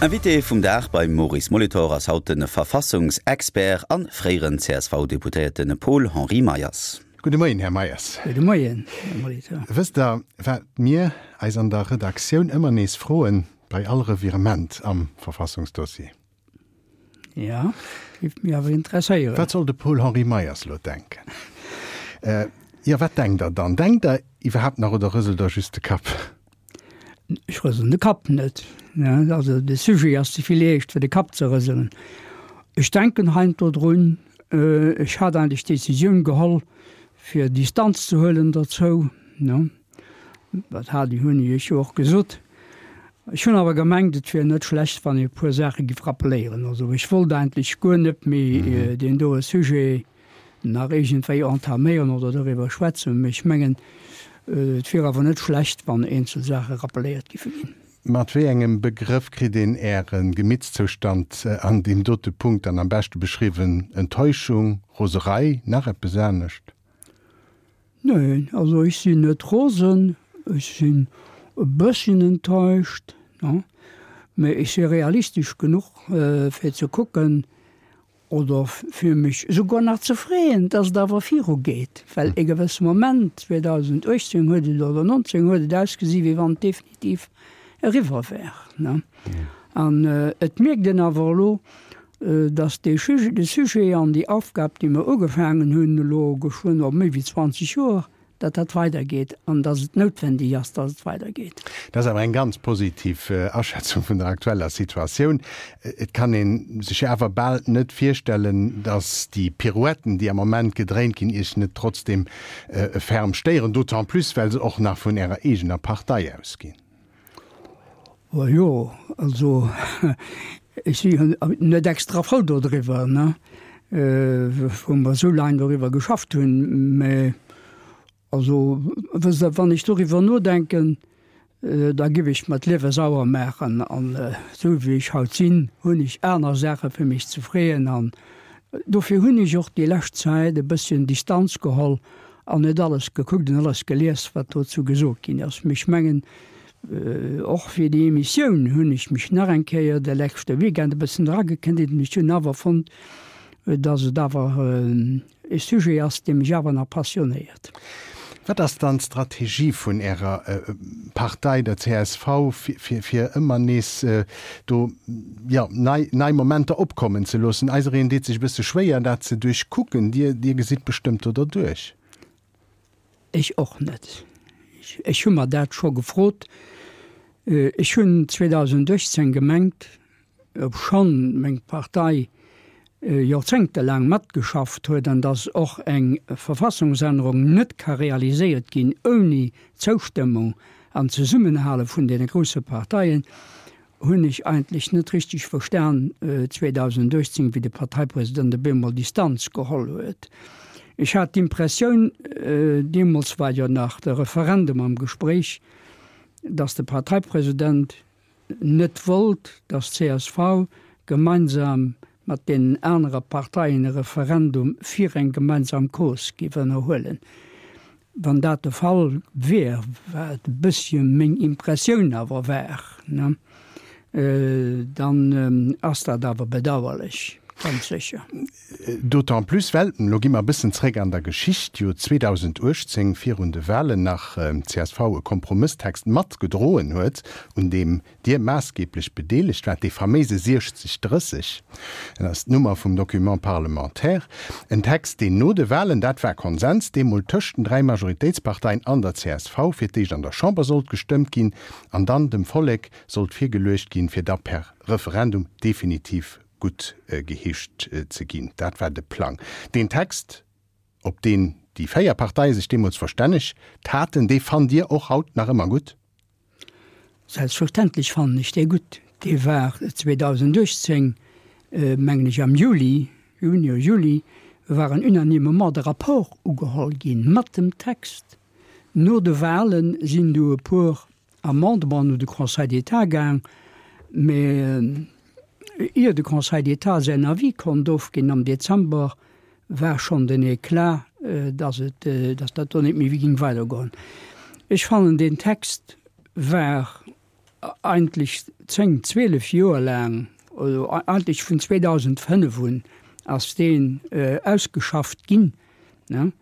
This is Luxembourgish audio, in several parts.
Invité vum Dag beim Maurice Molitor ass haut de Verfassungsexpert a fréieren CSV-Deputéierte Paul-Henri Meyers. Gudde Moien, Här Meyers. Gudde Moien, Här Molitor. Wësst Der, wat mir eis an der Redaktioun ëmmer nees froen bei all Revirement am Verfassungsdossier? Jo, géif mech awer interesséieren. Wat soll de Paul-Henri Meyers elo denken? Jo, wat denkt Der dann? Denkt Der iwwerhaapt nach oder rëselt Der just de Kapp? Ech rëselen de Kapp net. Also de Sujet ass ze vill eescht fir de Kapp ze rëselen. Ech denken heiansdo drun. Ech hat eigentlech d'Decisioun geholl fir Distanz ze huelen dozou. Dat hat hunn ech jo och gesot. Ech hunn awer gemengt, et wier net schlecht, wann ee e puer Saache giff rappeléieren. Also ech wollt eigentlech guer net méi deen doe Sujet nach iergendwéi entaméieren oder doriwwer schwätzen, mee ech mengen, et wier awer net schlecht, wann eenzel Saache rappeléiert giffe ginn. Mat wéi engem Begrëff kritt een Äre Gemittszoustand an deem dote Punkt dann am beschte beschriwwen? Enttäuschung, Roserei, nach eppes anescht? Neen, also ech sinn net rosen, ech sinn e bësschen enttäuscht, mee ech si realistesch genuch fir ze kucken, oder fir mech esouguer nach ze freeën, dass et awer virugeet, well e gewësse Moment, 2018 huet et, oder 19, huet et ausgesi wéi wann et definitiv eriwwer wär. An et mierkt een awer elo, dass dee Sujet, de Sujet an déi Aufgab, déi mer ugefaangen hunn elo geschwënn op méi wéi 20 Joer, datt dat weidergeet an datt et noutwendeg ass, datt et weidergeet. Dat ass awer eng ganz positiv Aschätzung vun der aktueller Situatioun. Et kann ee sech jo awer bal net virstellen, datt déi Pirouetten, déi am Moment gedréint ginn, Iech net trotzdeem ferm stéieren, d'autant plus well se och nach vun Ärer eegener Partei ausginn. O jo, also ech si jo net extra frou dodriwwer, ne, wou mer esou laang doriwwer geschafft hunn. Mä also wësst Der, wann ech doriwwer nodenken, da giff ech mer d'Liewe sauer maachen. An esou wéi ech haut sinn, hunn ech aner Saache fir mech ze freeën. An dofir hunn ech och déi lescht Zäit e bësschen Distanz geholl an net alles gekuckt an alles gelies, wat dozou gesot ginn ass. Mee ech mengen, och fir déi Emissioun hunn ech mech nach eng Kéier de leschte Weekend e bëssen eragekniet an ech hunn awer fonnt, dass et awer e Sujet ass, dee mech awer nach passionéiert. Wat ass dann d'Strategie vun Ärer Partei, der csv, fir ëmmer nees do, jo, nei, nei Momenter opkommen ze loossen? Eisereen deet sech e bësse schwéier, dat ze duerchkucken. Dir, Dir gesitt bestëmmt do derduerch. Ech och net. Ech hu mer dat scho gefrot. Ech hunn 2018 gemengt, obschonn meng Partei jorzéngtelaang matgeschafft huet an datt och eng Verfassungsännerung net ka realiséiert ginn ouni d'Zoustëmmung an d'Zesummenhale vun deene grousse Parteien, hunn ech eigentlech net richteg verstan 2018, wéi de Parteipresident op eemol Distanz geholl huet. Ech hat d'Impressioun, deemools war jo nach de Referendum am Gespréich, datt de Parteipresident net wollt, datt csv gemeinsam mat deenen anere Parteien e Referendum fir eng gemeinsam Cause géif ënnerhuelen. Wann dat de Fall wier, wat e bëssche meng Impressioun awer war, dann ass dat awer bedauerlech, ganz sécher. D'autant plus well, elo gi mer e bëssen zréck an der Geschicht, jo 2018 virun de Wahlen nach csv e Kompromësstext matgedroen huet, un deem Dir maassgeblech bedeelegt waart, dee faméise 60 30, dat ass d'Nummer vum Document parlementaire, en Text, deen no de Wahlen, dat war Konsens deemol tëscht den 3 Majoritéitsparteien an der csv, fir d'éischt an der Chamber sollt gestëmmt ginn an dann dem Vollek sollt virgeluecht ginn, fir da per Referendum definitiv gutt geheescht ze ginn. Dat war de Plang. Deen Text, op deen déi 4 Parteie sech deemools verstännegt haten, dee fannt Dir och haut nach ëmmer gutt? Selbstverständlech fannen ech dee gutt. Dee war 2018, mengen ech am Juli, Juni oder Juli, war en unanimement de Rapport ugeholl ginn mat dem Text. No de Wahlen sinn du e puer Amendementen un de Conseil d'État gaang, mä ier de Conseil d'État säin Avis konnt ofginn am Dezember, war schonn den Eclat, dass et, dass dat do net méi géing weidergoen. Ech fannen, deen Text war. Eigentlech 10, 12 Joer laang, oder eigentlech vun 2005 un ass deen ausgeschafft ginn. An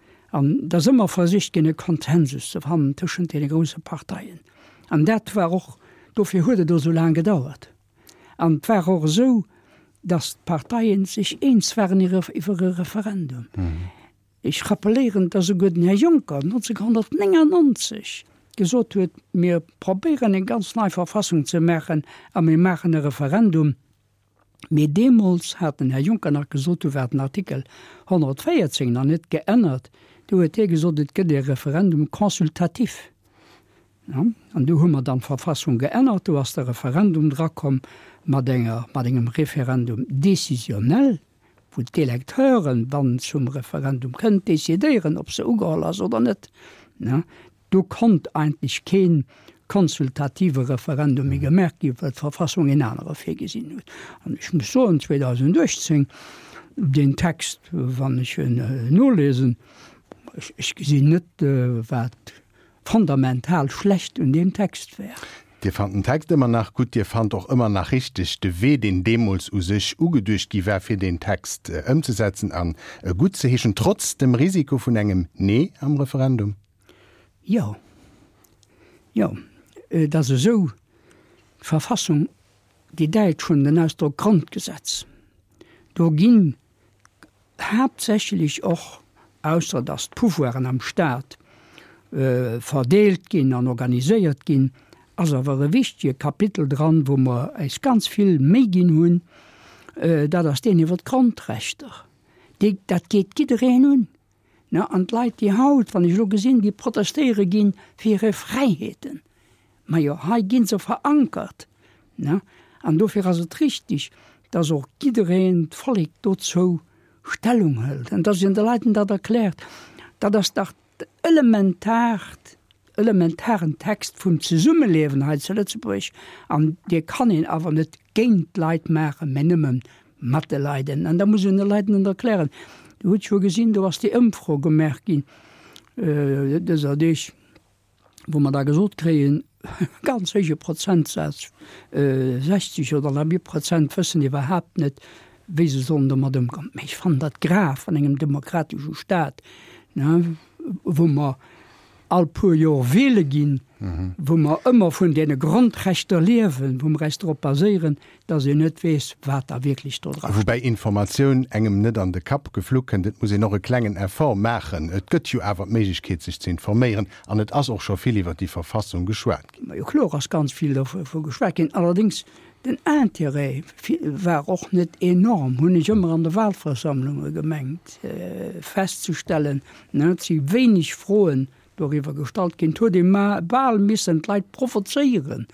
et ass ëmmer versicht ginn, e Konsensus ze fannen tëschent deene grousse Parteien. An dat war och, dofir huet et och esou laang gedauert. An et war och esou, datt d'Parteien sech eens waren iwwer e Referendum. Ech rappeléieren, dass esouguer den Här Juncker 1999 gesot huet, mir probéieren eng ganz nei Verfassung ze maachen a mir maachen e Referendum. Mee deemools hat den Här Juncker nach gesot, du war den Artikel 114 nach net geännert, du huet hie gesot, et gëtt e Referendum consultatif. An du hu mer dann d'Verfassung geännert, do ass de Referendum drakomm mat enger, mat engem Référendum décisionnel. wou d'Electeuren, wann et zum Referendum kënnt, decidéieren, ob se ugeholl ass oder net. Do konnt eigentlech kee konsultative Referendum méi gemaach ginn, well d'Verfassung een anere virgesinn huet. An ech muss soen, 2018, deen Text, wann ech en nolesen, ech gesinn net, wat fondamental schlecht un deem Text wär. Dir fannt den Text ëmmer nach gutt. Dir fannt och ëmmer nach richteg de Wee, deen deemools u sech ugeduecht gi war, fir deen Text ëmzesetzen an e guttzeheeschen, trotz dem Risiko vun engem Nee am Referendum? Jo. Jo, et ass esou, d'Verfassung, déi Däitsch hunn den Ausdrock Grondgesetz, do ginn haaptsächlech och, ausser datt d'Pouvoiren am Staat verdeelt ginn an organiséiert ginn, ass awer e wichtege Kapitel dran, wou mer eis ganz vill Méi ginn hunn, dat ass deen iwwer d'Grondrechter. Déi, dat geet jiddereen un. An d'Leit, déi haut, wann ech elo gesinn, déi protestéiere ginn fir hir Fräiheeten, Majo, hei gi se verankert, ne? An dofir ass et richtig, dass och jiddereen, d'Vollek, dozou Stellung hëlt an dass een de Leiten dat erkläert. Dat ass dach elementaart, elementaren Text vum Zesummeliewen hei zu Lëtzebuerg an dee kann een awer net géint d'Leit maachen, mä nëmme mat de Leiden. An da muss een de Leiden et erklären. Dir hutt jo gesinn, do ass déi Ëmfro gemaach ginn dëser Deeg, wou mer da gesot kréien, ganz héije Prozentsaz, 60 oder nach méi Prozent wëssen iwwerhaapt net, wéi se sollen domat ëmgoen. Mä ech fannen dat grav an engem demokratesche Staat, wou mer all puer Jor wiele ginn, wou mer ëmmer vun deene Grondrechter liewen, wou mer eis drop baséieren, dass een net weess, wat da wierklech do dra steet. Woubäi Informatioun engem net an de Kapp geflu kënnt. Et muss een och e klengen Effort maachen. Et gëtt jo awer d'Méiglechkeet, sech ze informéieren. An et ass och scho vill iwwer déi Verfassung geschwat ginn. Majo, kloer ass ganz vill dovu geschwat ginn. Allerdéngs, den Intérêt war och net enorm, hunn ech ëmmer an de Wahlversammlunge gemengt festzestellen. Et si wéineg Froen doriwwer gestallt ginn. Et huet ee bal missen d'Leit provozéieren,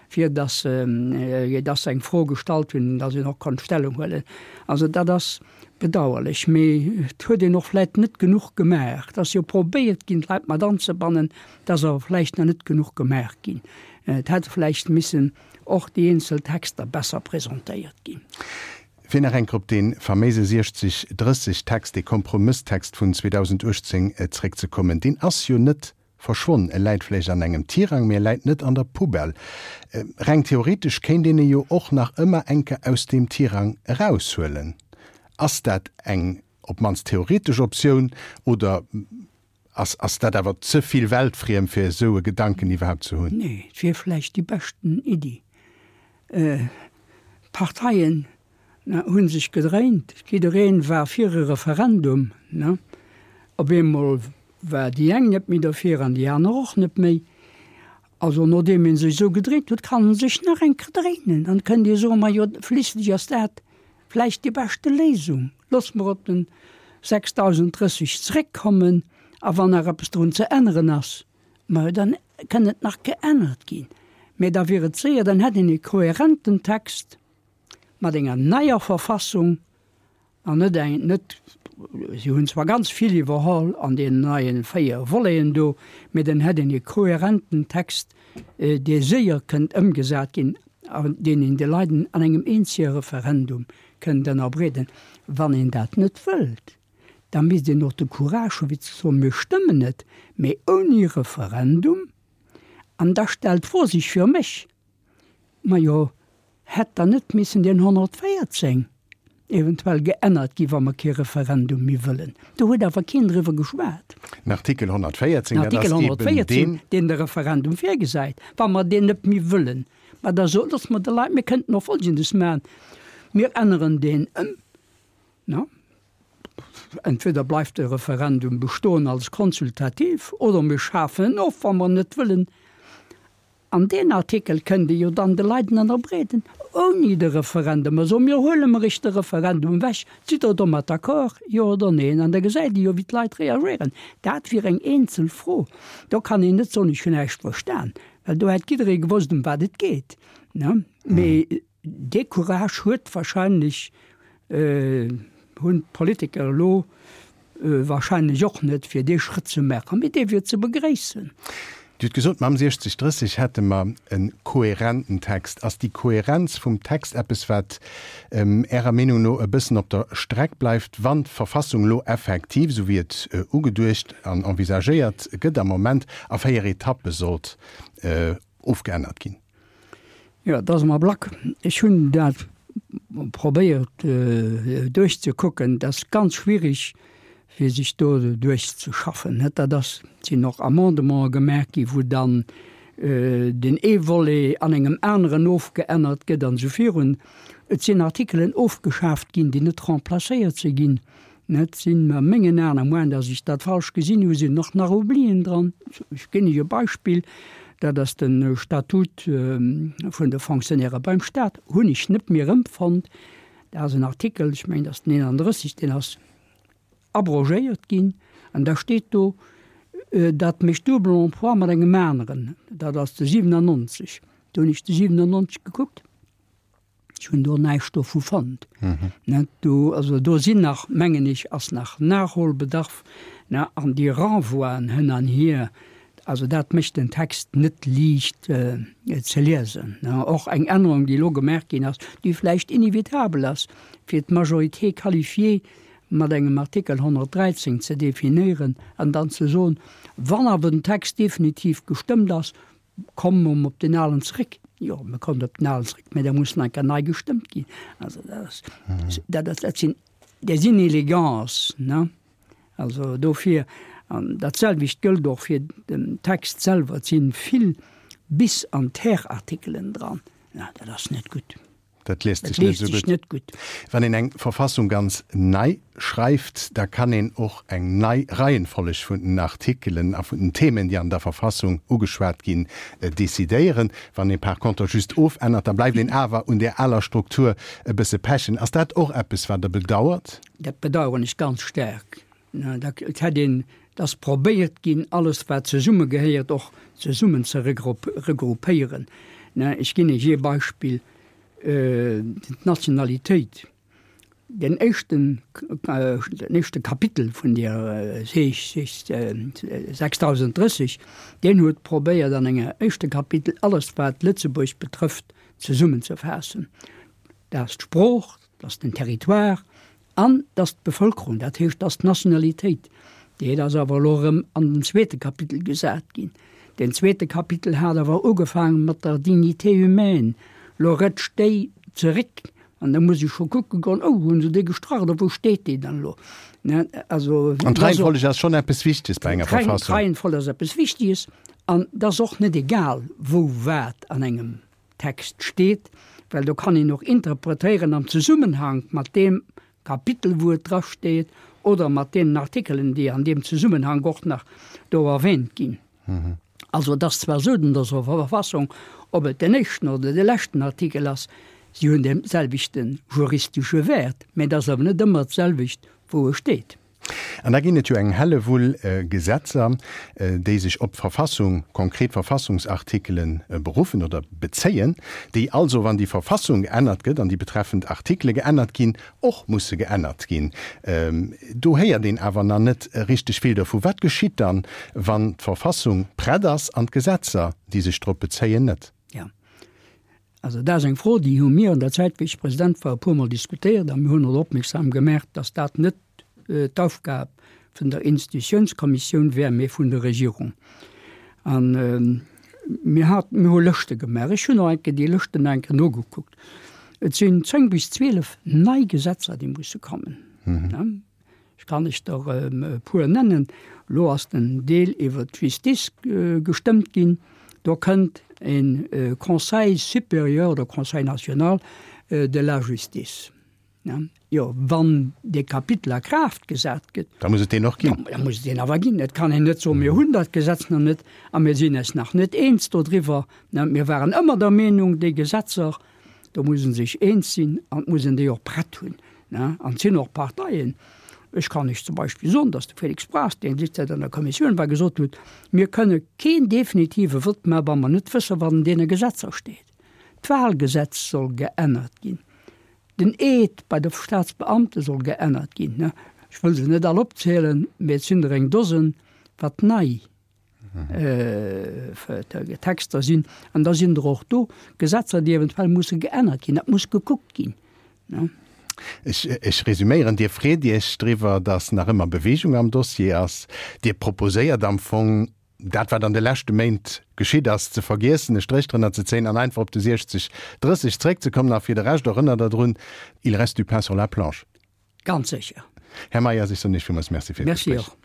fir datt se eng Fro gestallt hunn, datt een och konnt Stellung huelen. Also dat ass bedauerlech, mee et huet een och vläicht net genuch gemaach. Et ass jo probéiert ginn, d'Leit mat anzebannen, et ass awer vläicht nach net genuch gemaach ginn. Et hätt vläicht missen och déi eenzel Texter besser presentéiert ginn. Fir nach eng Kéier op dee faméise 60, 30 Text, dee Kompromësstext vun 2018 zréckzekommen, deen ass jo net verschwonn. E läit vläicht an engem Tirang, mee e läit net an der Poubelle. Reng theoretesch kéint een e jo och nach ëmmer eng Kéier aus deem Tirang eraushuelen. Ass dat eng op d'mannst theoretesch Optioun oder ass ass dat awer ze vill weltfriem, fir esou e Gedanken iwwerhaapt ze hunn? Nee, et wier vläicht déi beschten Iddi. D'Parteien hu sech gedréint, jiddereen war fir e Referendum. Op eemol war déi eng net méi derfir an déi aner och net méi. Also nodeem ee sech esou gedréint huet, kann en sech nach eng Kéier dréinen an kënnt ee soen, majo schliisslech ass dat vläicht déi beschte Léisung, loosse mer op den 6030 zréckkommen a wann nach eppes drun ze änneren ass, Majo, dann kënn et nach geännert ginn, mä da wier et séier, dann hätt een e kohärenten Text mat enger neier Verfassung an net eng, net, si hunn zwar ganz vill iwwerholl an deenen neie 4 Voleten do, mä dann hätt een e kohärenten Text, dee séier kënnt ëmgesat ginn an deen een de Leiden an engem eenzege Referendum kënnt ënnerbreeden. Wann een dat net wëllt, da misst een och de Courage hu fir ze soen, mir stëmmen et, mee ouni Referendum. An da stellt d'Fro sech fir mech, Majo, hätt dann net missen deen 114 eventuell geännert gi wa mer kee Referendum méi wëllen? Do huet awer keen driwwer geschwat. Den Artikel 114, dat ass eben deen. Den Artikel 114, deen de Referendum virgesäit, wa mer deen net méi wëllen. Ma da sot, loosse mer de Leit, mir kënnten och Folgendes maachen, Mir änneren deen ëm, ne? Entweder bleift de Referendum bestoen als konsultativ oder mir schafen en of, wa mer en net wëllen. An deen Artikel kënnt ee jo dann de Leit ënnerbreeden, ouni de Referendum. A soe mir, huele mer iech de Referendum ewech, sidd Der domat d'accord, jo oder neen? An da gesäit ee jo, wéi d'Leit reagéieren. Dat wier eng eenzel Fro. Do kann een net soen, ech hunn näischt verstan, well do hätt jidderee gewosst, ëm wat et geet. Mee Dee Courage huet wahrscheinlech, hunn d'Politiker elo wahrscheinlech och net, fir dee Schrëtt ze maachen, mee dee wier ze begréissen. Dir hutt gesot, mam 60, 30 hätte mer e kohärenten Text. Ass déi Kohärenz vum Text eppes, wat Ärer Meenung no e bëssen op der Streck bleift, wann d'Verfassung elo effektiv, esou wéi et ugeduecht an envisagéiert gëtt am Moment, a 4 Etappe sollt ofgeännert ginn? Jo, et ass am Ablack. Ech hunn dat probéiert duerchzekucken. Et ass ganz schwierig, fir sech do duerchzeschaffen. Dat ass, et sinn och Amendementen gemaach gi wou dann den ee Volet an engem aneren ofgeännert gëtt an esou virun. Et sinn Artikelen ofgeschaaft ginn, déi net remplacéiert si ginn. Et sinn a mengen Aen, à moins dass ech dat falsch gesinn hu, sinn och nach Oublien dran. Ech ginn Iech e Beispill, dat ass de Statut vun de Fonctionnaires beim Stat, hunn ech net méi erëmfonnt. Dat ass en Artikel, ech mengen, dat ass den 31, deen ass abrogéiert ginn an da steet do, dat mécht double emploi mat engem aneren, dat ass de 97. Do hunn ech de 97 gekuckt. Ech hunn do näischt dovu fonnt. Net do, also do sinn nach, mengen ech, ass nach Nachholbedarf, ne, an déi Renvoien hënn an hier, also dat mécht den Text net liicht ze liesen, ne. Och eng Ännerung, déi elo gemaach ginn ass, déi vläicht inevitabel ass, fir d'Majorité qualifiée mat engem Artikel 113 ze definéieren an dann ze soen, wann awer den Text definitiv gestëmmt ass, Komme mer op den alen zréck? Jo, mir kommen op den alen zréck, mä da muss nach eng Kéier nei gestëmmt ginn. Also dat ass, dat ass, dat sinn, des Inelegance, ne? Also dofir, an dat selwecht gëllt och fir den Text selwer, et sinn vill Bis an Ter-Artikelen dran. Na, dat ass net gutt. Dat liest sech net esou gutt. gutt. Wann een eng Verfassung ganz nei schreift, da kann een och eng nei Reihenfolleg vun den Artikelen a vun den Themen, déi an der Verfassung ugeschwat ginn, decidéieren. Wann ee par contre just ofännert, da bleift een awer un där aler Struktur e bësse pechen. Ass dat och eppes, wat Der bedauert? Dat bedauern ech ganz staark. Et hätt een, et ass probéiert ginn, alles wat zesummegehéiert och zesummen ze regroupéieren. Ech ginn Iech ee Beispill, d'Nationalitéit. Den éischten, den éischte Kapitel vun där 6030, deen huet probéiert an engem éischte Kapitel alles wat Lëtzebuerg betrëfft zesummenzefaassen. Dat ass d'Sprooch, dat ass den Territoire, An dass d'Bevölkerung, dat heescht dass d'Nationalitéit, déi ass awer elo erëm an den zweete Kapitel gesat ginn. Deen zweete Kapitel hat awer ugefaange mat der Dignité humaine. Elo rëtscht déi zeréck an da muss ech scho kucke goen, oh, hunn se déi gestrach oder wou steet déi dann elo? Ne, also. An d'Reihenfolleg ass schonn eppes Wichteges bei enger Verfassung. D'Reihenfolleg ass eppes Wichteges an et ass och net egal, wou wat an engem Text steet, well do kann een och interpretéieren am Zesummenhank mat deem Kapitel, wou et drasteet, oder mat deenen Artikelen, déi an deem Zesummenhank och nach do erwähnt ginn. Also et ass zwar esou, an der Verfassung, ob et den éischten oder de leschten Artikel ass, si hunn dee selwechte juristesche Wäert, mä et ass awer net ëmmer d'selwecht, wou e steet. An da ginn et jo eng Hellewull Gesetzer, déi sech op d'Verfassung, konkret Verfassungsartikele beruffen oder bezéien, déi also, wann déi Verfassung geännert gëtt an déi betreffend Artikele geännert ginn, och musse geännert ginn. Do héiert een awer nach net richteg vill dovu. Wat geschitt dann, wann d'Verfassung prett ass an d'Gesetzer, déi sech drop bezéien, net? Jo, also dat ass eng Fro, déi hu mir an der Zäit, wéi ech President war, e puermol diskutéiert a mir hunn och opmierksam gemaach, datt dat net d'Aufgab vun der Institutiounskommissioun wär, mee vun der Regierung. An. Mir hat, mir hu Lëschte gemaach. Ech hunn och eng Kéier déi Lëschten eng Kéier nogekuckt. Et sinn 10 bis 12 nei Gesetzer, déi musse kommen. Ech kann lech der e puer nennen. Elo ass den Deel iwwert d'Justice gestëmmt ginn. Do kënnt e Conseil supérieur oder Conseil national de la justice. Jo, wann dee Kapitel a Kraaft gesat gëtt. Da muss et deen och ginn. Da muss et deen awer ginn. Et kann een net soen, mir hunn dat Gesetz nach net a mir sinn eis nach net eens dodriwwer. Mir waren ëmmer der Meenung, déi Gesetzer, do muss ee sech eens sinn an et muss een déi och prett hunn. An et sinn och Parteien, ech kann lech zum Beispill soen, datt de Félix Braz, deen derzäit an der Kommissioun war, gesot huet, mir kënne keen definitive Vott maachen, wa mer net wëssen, wat an deene Gesetzer steet. D'Wahlgesetz soll geännert ginn. Den Eed bei de Staatsbeamte soll geännert ginn. Ech wëll se net all opzielen, mee et sinn der eng Dosen, wat nei Texter sinn. An da sinn der och do Gesetzer, déi eventuell musse geännert ginn. Dat muss gekuckt ginn. Ech resüméieren, Dir freet Iech driwwer, datt nach ëmmer Beweegung am Dossier ass. Dir proposéiert am Fong, dat wat an de leschte Méint geschitt ass, ze vergiessen, e Stréch drënner ze zéien an einfach op de 60, 30 zréckzekommen. A fir de Rescht, erënnert Der drun, il reste du pain sur la planche. Ganz sécher. Här Meyers, ech soen Iech villmools Merci fir d'Gespréich. Merci och.